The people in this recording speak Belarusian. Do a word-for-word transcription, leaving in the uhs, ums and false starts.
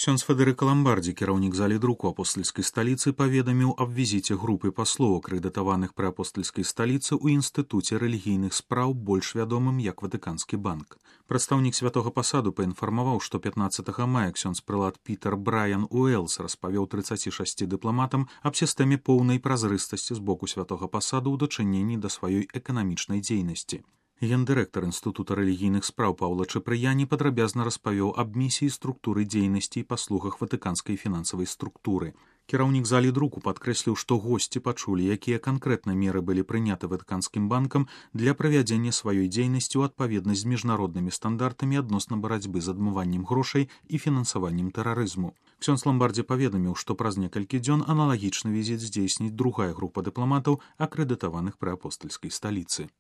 Ксёндз Федэрыка Ламбардзі, кіраўнік залі друку апостальскай сталіцы, паведаміў аб візіце групы паслоў, акрэдытаваных пры апостальскай сталіцы ў інстытуце рэлігійных спраў, больш вядомым як Ватыканскі банк. Прадстаўнік святога пасаду паінфармаваў, што пятнаццатага мая ксёндз прылад Пітер Брайан Уэлс распавёў трыццаці шасці дыпламатам аб сістэме поўнай празрыстасці з боку святога пасаду ў дачыненні да сваёй эканамічнай дзейнасці. Гендырэктар інстытута рэлігійных спраў Паўла Чапрыяні падрабязна распавёў аб місіі, структуры дзейнасці і паслугах ватыканскай фінансавай структуры. Кіраўнік залі друку падкрэсліў, што госці пачулі, якія канкрэтна меры былі прыняты Ватыканскім банкам для правядзення сваёй дзейнасці ў адпаведнасць з міжнароднымі стандартамі адносна барацьбы з адмываннем грошай і фінансаваннем тэрарызму. Ксёндз Ламбардзі паведаміў, што праз некалькі дзён аналагічны візіт здзейсніць другая група дыпламатаў, акрэдытаваных пры апостальскай сталіцы.